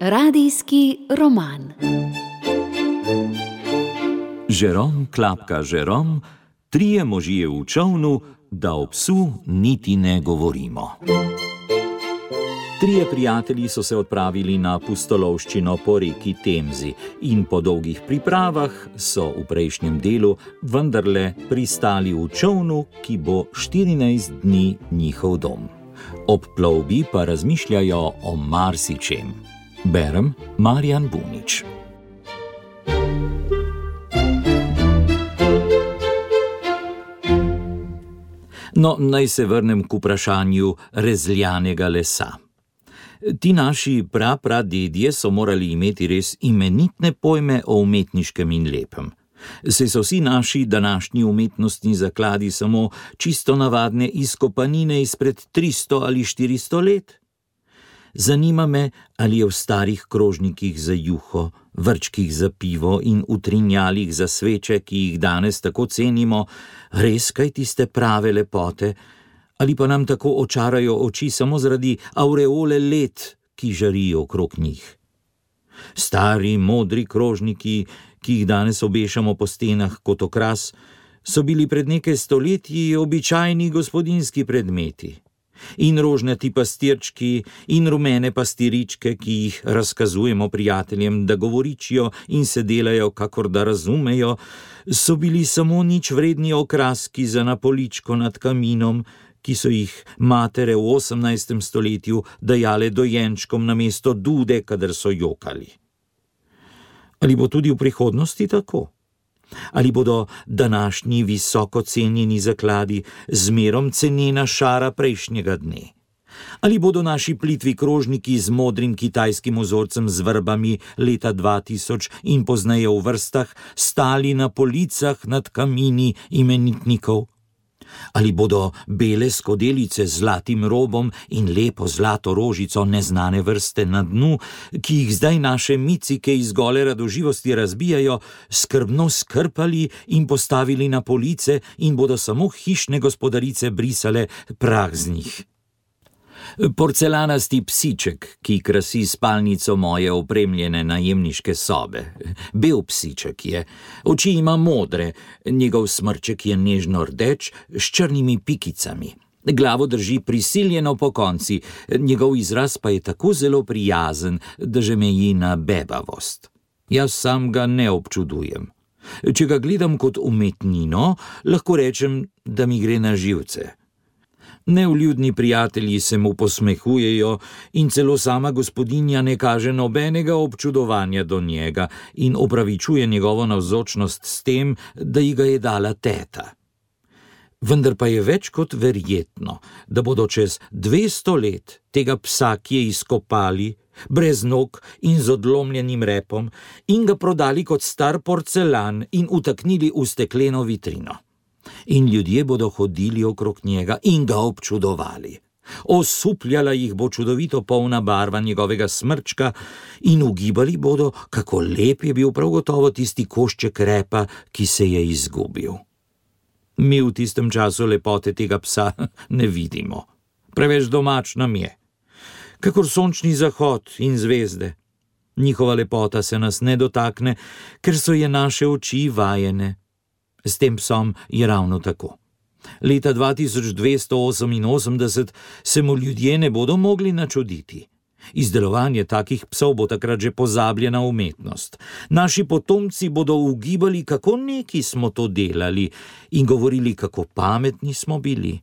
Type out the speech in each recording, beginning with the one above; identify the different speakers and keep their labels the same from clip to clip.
Speaker 1: Radijski roman.
Speaker 2: Žerom klapka Žerom, trije možje v čolnu, da o psu niti ne govorimo. Trije prijatelji so se odpravili na pustolovščino po reki Temzi in po dolgih pripravah so v prejšnjem delu vendarle pristali v čolnu, ki bo 14 dni njihov dom. Ob plovbi pa razmišljajo o marsičem. Berem Marjan Bunič. No, naj se vrnem k vprašanju rezljanega lesa. Ti naši pradedje so morali imeti res imenitne pojme o umetniškem in lepem. Saj so vsi naši današnji umetnostni zakladi samo čisto navadne izkopanine izpred 300 ali 400 let? Zanima me, ali je v starih krožnikih za juho, vrčkih za pivo in utrinjalih za sveče, ki jih danes tako cenimo, res kaj tiste prave lepote, ali pa nam tako očarajo oči samo zaradi aureole let, ki žarijo okrog njih. Stari, modri krožniki, ki jih danes obešamo po stenah kot okras, so bili pred nekaj stoletji običajni gospodinjski predmeti. In rožnati pastirčki in rumene pastiričke, ki jih razkazujemo prijateljem, da govoričijo in se delajo, kakor da razumejo, so bili samo nič vredni okraski za na poličko nad kaminom, ki so jih matere v 18. stoletju dajale dojenčkom namesto dude, kadar so jokali. Ali bo tudi v prihodnosti tako? Ali bodo današnji visoko cenjeni zakladi zmerom cenena šara prejšnjega dne? Ali bodo naši plitvi krožniki z modrim kitajskim vzorcem z vrbami leta 2000 in pozneje v vrstah stali na policah nad kamini imenitnikov? Ali bodo bele skodelice z zlatim robom in lepo zlato rožico neznane vrste na dnu, ki jih zdaj naše micike iz gole radoživosti razbijajo, skrbno skrpali in postavili na police in bodo samo hišne gospodarice brisale prah z njih? Porcelanasti psiček, ki krasi spalnico moje opremljene najemniške sobe. Bel psiček je, oči ima modre, njegov smrček je nežno rdeč s črnimi pikicami. Glavo drži prisiljeno pokonci, njegov izraz pa je tako zelo prijazen, da že meji na bebavost. Jaz sam ga ne občudujem. Če ga gledam kot umetnino, lahko rečem, da mi gre na živce. Nevljudni prijatelji se mu posmehujejo in celo sama gospodinja ne kaže nobenega občudovanja do njega in opravičuje njegovo navzočnost s tem, da ji ga je dala teta. Vendar pa je več kot verjetno, da bodo čez 200 let tega psa kje izkopali, brez nog in z odlomljenim repom, in ga prodali kot star porcelan in utaknili v stekleno vitrino. In ljudje bodo hodili okrog njega in ga občudovali. Osupljala jih bo čudovito polna barva njegovega smrčka in ugibali bodo, kako lep je bil prav gotovo tisti košček repa, ki se je izgubil. Mi v tistem času lepote tega psa ne vidimo. Preveč domač nam je. Kakor sončni zahod in zvezde. Njihova lepota se nas ne dotakne, ker so je naše oči vajene. S tem psom je ravno tako. Leta 2288 se mu ljudje ne bodo mogli načuditi. Izdelovanje takih psov bo takrat že pozabljena umetnost. Naši potomci bodo ugibali, kako neki smo to delali in govorili, kako pametni smo bili.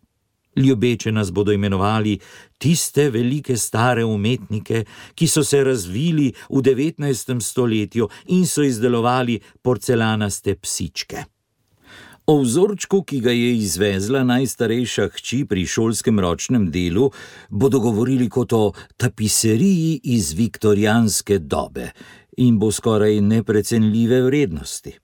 Speaker 2: Ljubeče nas bodo imenovali tiste velike stare umetnike, ki so se razvili v 19. stoletju in so izdelovali porcelanaste psičke. O vzorčku, ki ga je izvezla najstarejša hči pri šolskem ročnem delu, bodo govorili kot o tapiseriji iz viktorijanske dobe in bo skoraj neprecenljive vrednosti.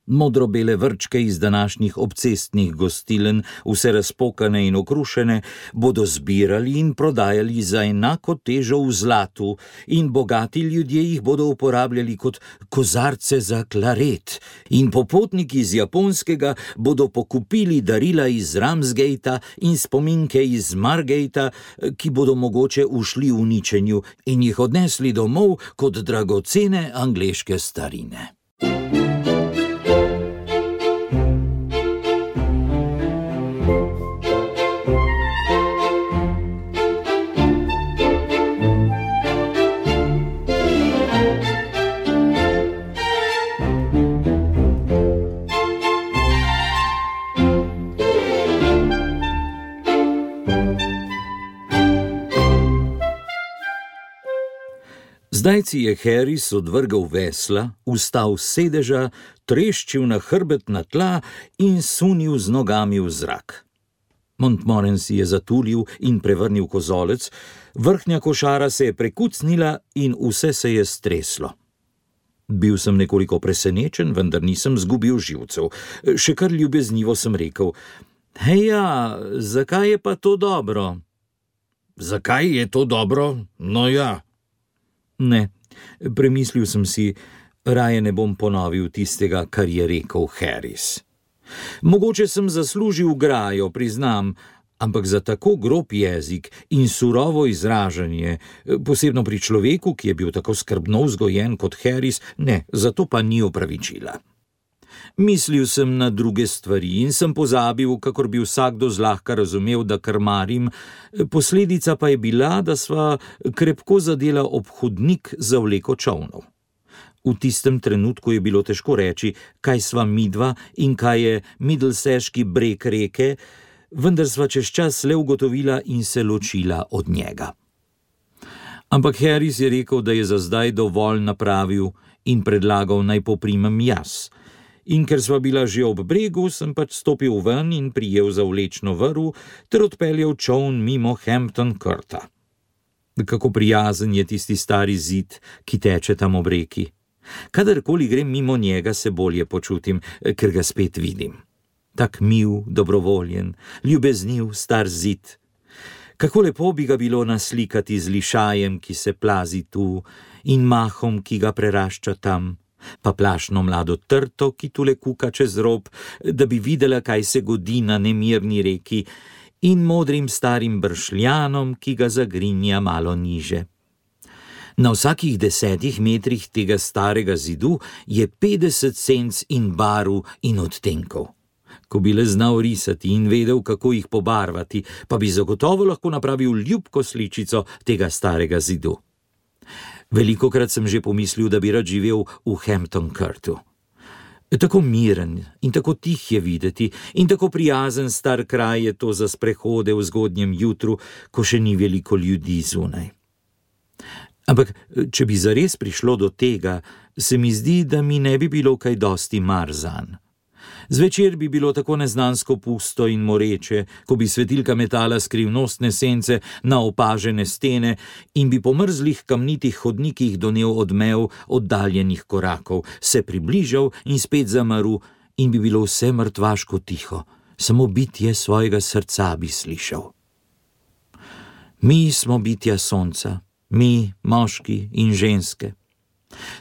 Speaker 2: Modro-bele vrčke iz današnjih obcestnih gostilen, vse razpokane in okrušene, bodo zbirali in prodajali za enako težo v zlatu in bogati ljudje jih bodo uporabljali kot kozarce za klaret in popotniki iz Japonskega bodo pokupili darila iz Ramsgatea in spominke iz Margatea, ki bodo mogoče ušli v uničenju in jih odnesli domov kot dragocene angleške starine. Zdaj si je Harris odvrgal vesla, vstal s sedeža, treščil na hrbet na tla in sunil z nogami v zrak. Montmorency je zatulil in prevrnil kozolec, vrhnja košara se je prekucnila in vse se je streslo. Bil sem nekoliko presenečen, vendar nisem zgubil živcev. Še kar ljubeznivo sem rekel: "Heja, zakaj je pa to dobro?" "Zakaj je to dobro? No ja." Ne, premislil sem si, raje ne bom ponovil tistega, kar je rekel Harris. Mogoče sem zaslužil grajo, priznam, ampak za tako grob jezik in surovo izražanje, posebno pri človeku, ki je bil tako skrbno vzgojen kot Harris, ne, zato pa ni opravičila. Mislil sem na druge stvari in sem pozabil, kakor bi vsakdo zlahka razumel, da krmarim, posledica pa je bila, da sva krepko zadela ob hodnik za vleko čolnov. V tistem trenutku je bilo težko reči, kaj sva midva in kaj je Middleseški breg reke, vendar sva čez čas le ugotovila in se ločila od njega. Ampak Harris je rekel, da je za zdaj dovolj napravil in predlagal, naj poprimem jaz. In ker sva bila že ob bregu, sem pač stopil ven in prijel za vlečno vrv ter odpeljal čoln mimo Hampton Courta. Kako prijazen je tisti stari zid, ki teče tam ob reki. Kadarkoli grem mimo njega, se bolje počutim, ker ga spet vidim. Tak mil, dobrovoljen, ljubezniv star zid. Kako lepo bi ga bilo naslikati z lišajem, ki se plazi tu, in mahom, ki ga prerašča tam, pa plašno mlado trto, ki tule kuka čez rob, da bi videla, kaj se godi na nemirni reki, in modrim starim bršljanom, ki ga zagrinja malo niže. Na vsakih 10 metrih tega starega zidu je 50 senc in barv in odtenkov. Ko bi le znal risati in vedel, kako jih pobarvati, pa bi zagotovo lahko napravil ljubko sličico tega starega zidu. Velikokrat sem že pomislil, da bi rad živel v Hampton Courtu. Tako miren in tako tih je videti in tako prijazen star kraj je to za sprehode v zgodnjem jutru, ko še ni veliko ljudi zunaj. Ampak, če bi zares prišlo do tega, se mi zdi, da mi ne bi bilo kaj dosti mar zanj. Zvečer bi bilo tako neznansko pusto in moreče, ko bi svetilka metala skrivnostne sence na opažene stene in bi po mrzlih kamnitih hodnikih donel odmev oddaljenih korakov, se približal in spet zamrl in bi bilo vse mrtvaško tiho, samo bitje svojega srca bi slišal. Mi smo bitja sonca, mi, moški in ženske.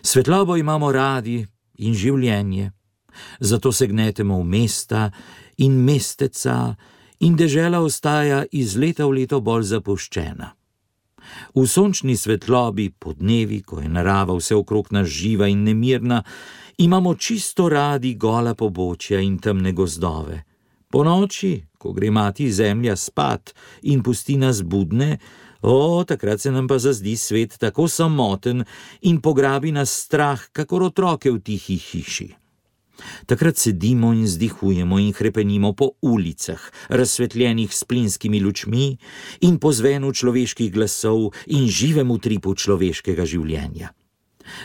Speaker 2: Svetlobo imamo radi in življenje. Zato se gnetemo v mesta in mesteca in dežela ostaja iz leta v leto bolj zapuščena. V sončni svetlobi, podnevi, ko je narava vse okrog nas živa in nemirna, imamo čisto radi gola pobočja in temne gozdove. Po noči, ko gre mati zemlja spat in pusti nas budne, takrat se nam pa zazdi svet tako samoten in pograbi nas strah, kakor otroke v tihi hiši. Takrat sedimo in zdihujemo in hrepenimo po ulicah, razsvetljenih s plinskimi lučmi in po zvenu človeških glasov in živem utripu človeškega življenja.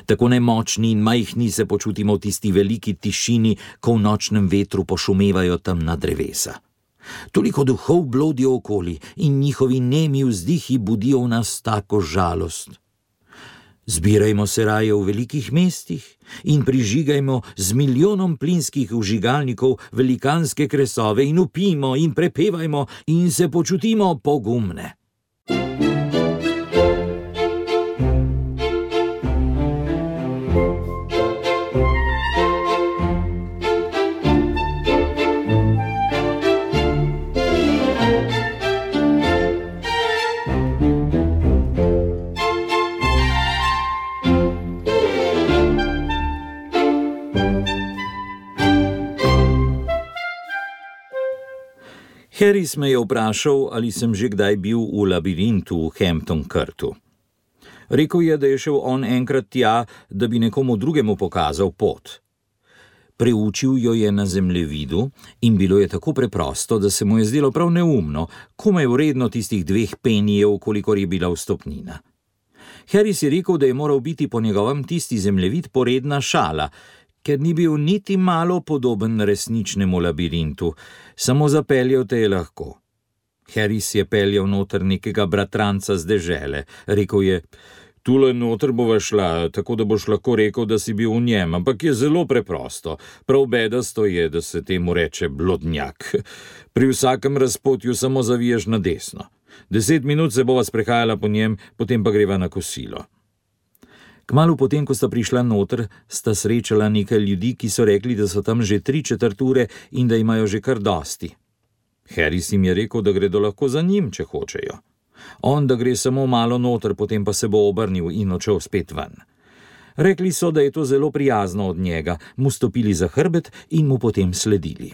Speaker 2: Tako nemočni in majhni se počutimo v tisti veliki tišini, ko v nočnem vetru pošumevajo temna drevesa. Toliko duhov blodijo okoli in njihovi nemi vzdihi budijo v nas tako žalost. Zbirajmo se raje v velikih mestih in prižigajmo z milijonom plinskih vžigalnikov velikanske kresove in vpijmo in prepevajmo in se počutimo pogumne. Harris me je vprašal, ali sem že kdaj bil v labirintu v Hampton Courtu. Rekel je, da je šel on enkrat tja, da bi nekomu drugemu pokazal pot. Preučil jo je na zemljevidu in bilo je tako preprosto, da se mu je zdelo prav neumno, komaj vredno tistih 2 penijev, kolikor je bila vstopnina. Harris je rekel, da je moral biti po njegovem tisti zemljevid poredna šala, ker ni bil niti malo podoben resničnemu labirintu, samo zapeljal te je lahko. Harris je peljal noter nekega bratranca z dežele. Rekel je: "Tule noter bova šla, tako da boš lahko rekel, da si bil v njem, ampak je zelo preprosto. Prav bedasto je, da se temu reče blodnjak. Pri vsakem razpotju samo zaviješ na desno. 10 minut se bova sprehajala po njem, potem pa greva na kosilo." Kmalu potem, ko sta prišla noter, sta srečala nekaj ljudi, ki so rekli, da so tam že 3/4 ure in da imajo že kar dosti. Harris jim je rekel, da gredo lahko za njim, če hočejo. On, da gre samo malo noter, potem pa se bo obrnil in odšel spet ven. Rekli so, da je to zelo prijazno od njega, mu stopili za hrbet in mu potem sledili.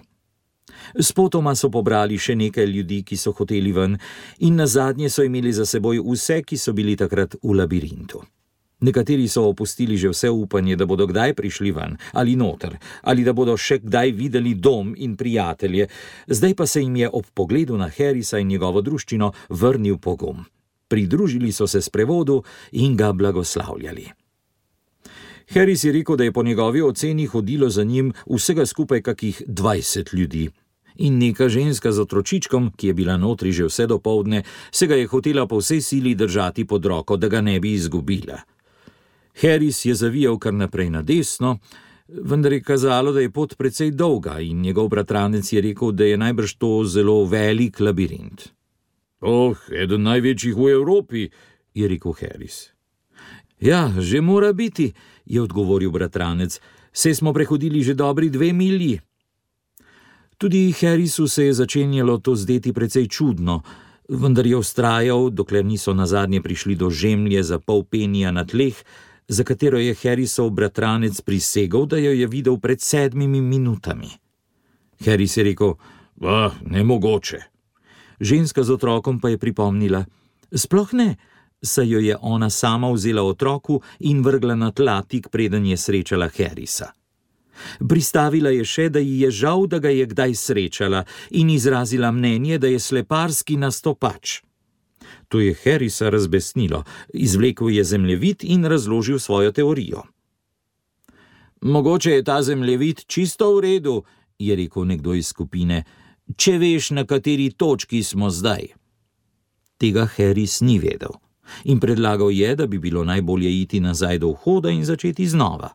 Speaker 2: Spotoma so pobrali še nekaj ljudi, ki so hoteli ven, in nazadnje so imeli za seboj vse, ki so bili takrat v labirintu. Nekateri so opustili že vse upanje, da bodo kdaj prišli ven ali noter, ali da bodo še kdaj videli dom in prijatelje, zdaj pa se jim je ob pogledu na Harrisa in njegovo druščino vrnil pogum. Pridružili so se sprevodu in ga blagoslavljali. Harris je rekel, da je po njegovi oceni hodilo za njim vsega skupaj kakih 20 ljudi. In neka ženska z otročičkom, ki je bila notri že vse dopoldne, se ga je hotela po vsej sili držati pod roko, da ga ne bi izgubila. Harris je zavijal kar naprej na desno, vendar je kazalo, da je pot precej dolga in njegov bratranec je rekel, da je najbrž to zelo velik labirint. Eden največjih v Evropi, je rekel Harris. Ja, že mora biti, je odgovoril bratranec, saj smo prehodili že dobri 2 milji. Tudi Harrisu se je začenjalo to zdeti precej čudno, vendar je vztrajal, dokler niso nazadnje prišli do žemlje za pol penija na tleh, za katero je Harrisov bratranec prisegel, da jo je videl pred 7 minutami. Harris je rekel: nemogoče. Ženska z otrokom pa je pripomnila: sploh ne, saj jo je ona sama vzela otroku in vrgla na tla tik preden je srečala Harrisa. Pristavila je še, da ji je žal, da ga je kdaj srečala, in izrazila mnenje, da je sleparski nastopač. To je Harrisa razbesnilo, izvlekel je zemljevid in razložil svojo teorijo. Mogoče je ta zemljevid čisto v redu, je rekel nekdo iz skupine, če veš, na kateri točki smo zdaj. Tega Harris ni vedel in predlagal je, da bi bilo najbolje iti nazaj do vhoda in začeti znova.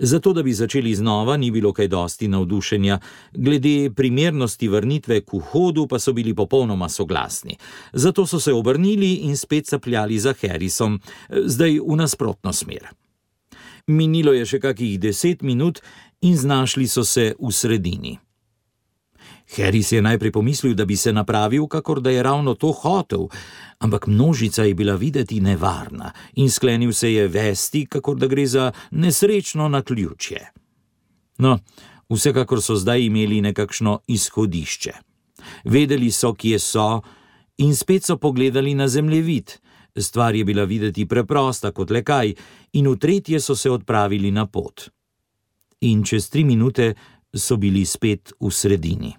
Speaker 2: Zato, da bi začeli znova, ni bilo kaj dosti navdušenja, glede primernosti vrnitve k vhodu pa so bili popolnoma soglasni. Zato so se obrnili in spet sapljali za Harrisom, zdaj v nasprotno smer. Minilo je še kakih 10 minut in znašli so se v sredini. Harris je najprej pomislil, da bi se napravil, kakor da je ravno to hotel, ampak množica je bila videti nevarna in sklenil se je vesti, kakor da gre za nesrečno naključje. No, vsekakor so zdaj imeli nekakšno izhodišče. Vedeli so, kje so, in spet so pogledali na zemljevid. Stvar je bila videti preprosta kot le kaj, in v tretje so se odpravili na pot. In čez 3 minute so bili spet v sredini.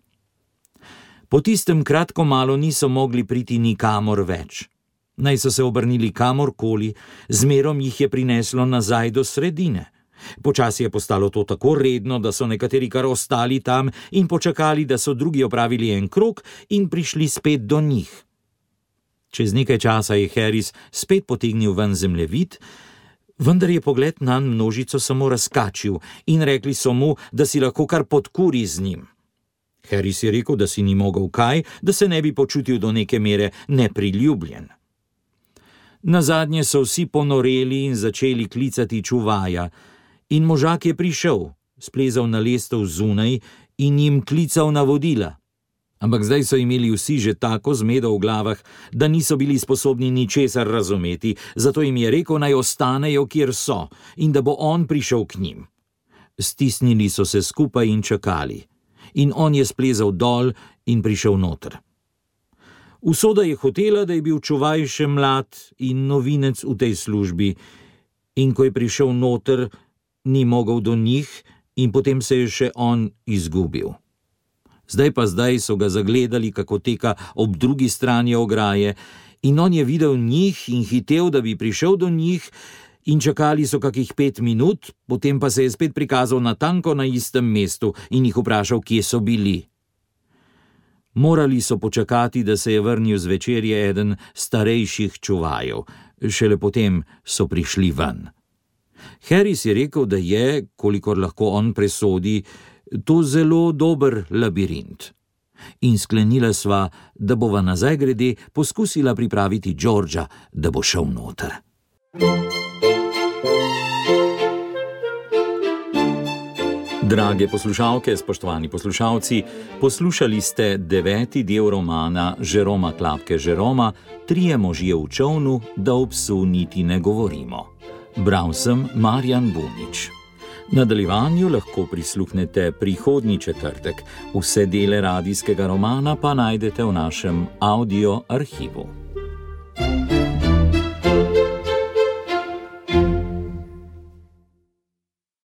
Speaker 2: Po tistem kratko malo niso mogli priti nikamor več. Naj so se obrnili kamorkoli, zmerom jih je prineslo nazaj do sredine. Počasi je postalo to tako redno, da so nekateri kar ostali tam in počakali, da so drugi opravili en krog in prišli spet do njih. Čez nekaj časa je Harris spet potegnil ven zemljevid, Vendar je pogled na množico samo razkačil in rekli so mu, da si lahko kar podkuri z njim. Harris je rekel, da si ni mogel kaj, da se ne bi počutil do neke mere nepriljubljen. Nazadnje so vsi ponoreli in začeli klicati čuvaja, in možak je prišel, splezal na lestev zunaj in jim klical navodila. Ampak zdaj so imeli vsi že tako zmedo v glavah, da niso bili sposobni ničesar razumeti, zato jim je rekel, naj ostanejo, kjer so, in da bo on prišel k njim. Stisnili so se skupaj in čakali, in on je splezal dol in prišel noter. Usoda je hotela, da je bil čuvaj še mlad in novinec v tej službi, in ko je prišel noter, ni mogel do njih in potem se je še on izgubil. Zdaj so ga zagledali, kako teka ob drugi strani ograje, in on je videl njih in hitel, da bi prišel do njih, in čakali so kakih 5 minut, potem pa se je spet prikazal natanko na istem mestu in jih vprašal, kje so bili. Morali so počakati, da se je vrnil z večerje eden starejših čuvajev, šele potem so prišli ven. Harris je rekel, da je, kolikor lahko on presodi, to zelo dober labirint. In sklenila sva, da bova nazaj grede poskusila pripraviti Georgea, da bo šel noter. Drage poslušalke, spoštovani poslušalci, poslušali ste 9. del romana Jeroma Klapke Jeroma Trije možje v čolnu, da o psu niti ne govorimo. Bral sem Marjan Bunič. Nadaljevanju lahko prisluhnete prihodnji četrtek. Vse dele radijskega romana pa najdete v našem audio arhivu.